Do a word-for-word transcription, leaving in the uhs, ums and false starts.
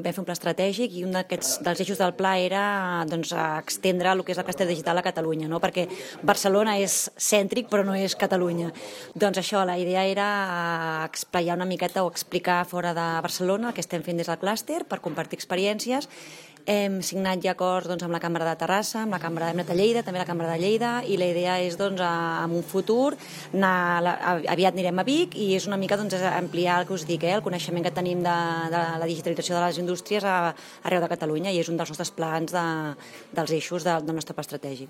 Vam fer un pla estratègic i un d'aquests dels eixos del pla era doncs, extendre el que és el clúster digital a Catalunya, no? Perquè Barcelona és cèntric però no és Catalunya. Doncs això, la idea era explicar una miqueta o explicar fora de Barcelona el que estem fent des del clúster per compartir experiències. Hem signat ja acords doncs, amb la Cambra de Terrassa, amb la Cambra de Lleida, també la Cambra de Lleida, i la idea és, doncs, en un futur, anar, aviat anirem a Vic, i és una mica doncs, ampliar el que us dic, eh, el coneixement que tenim de, de la digitalització de les indústries a, arreu de Catalunya, i és un dels nostres plans de, dels eixos de, del nostre pla estratègic.